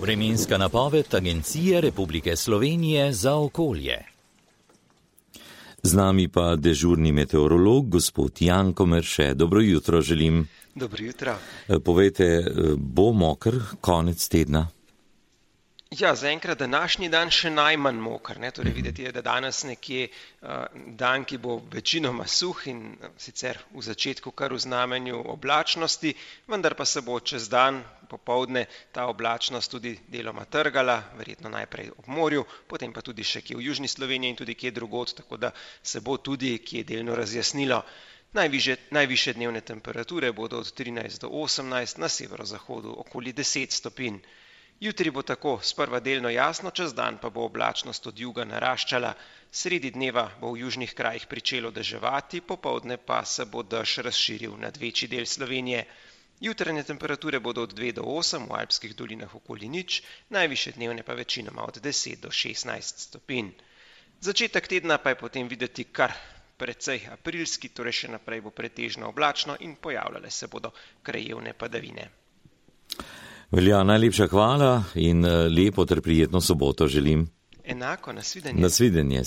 Vremenska napoved Agencije Republike Slovenije za okolje. Z nami pa dežurni meteorolog, gospod Janko Merše. Dobro jutro želim. Dobro jutro. Povejte, bo moker konec tedna? Ja, zaenkrat današnji dan še najmanj moker. Torej videti je, da danes nekje dan, ki bo večinoma suh in sicer v začetku kar v znamenju oblačnosti, vendar pa se bo čez dan popoldne ta oblačnost tudi deloma trgala, verjetno najprej ob morju, potem pa tudi še kje v južni Sloveniji in tudi kje drugod, tako da se bo tudi kje delno razjasnilo. Najvišje dnevne temperature bodo od 13 do 18, na severozahodu okoli 10 stopinj. Jutri bo tako sprva delno jasno, čez dan pa bo oblačnost od juga naraščala, sredi dneva bo v južnih krajih pričelo deževati, popoldne pa se bo dež razširil nad večji del Slovenije. Jutranje temperature bodo od 2 do 8, v alpskih dolinah okoli 0, najvišje dnevne pa večinoma od 10 do 16 stopinj. Začetek tedna pa je potem videti kar precej aprilski, torej še naprej bo pretežno oblačno in pojavljale se bodo krajevne padavine. Velja, najlepša hvala in lepo ter prijetno soboto želim. Enako, nasvidenje. Nasvidenje.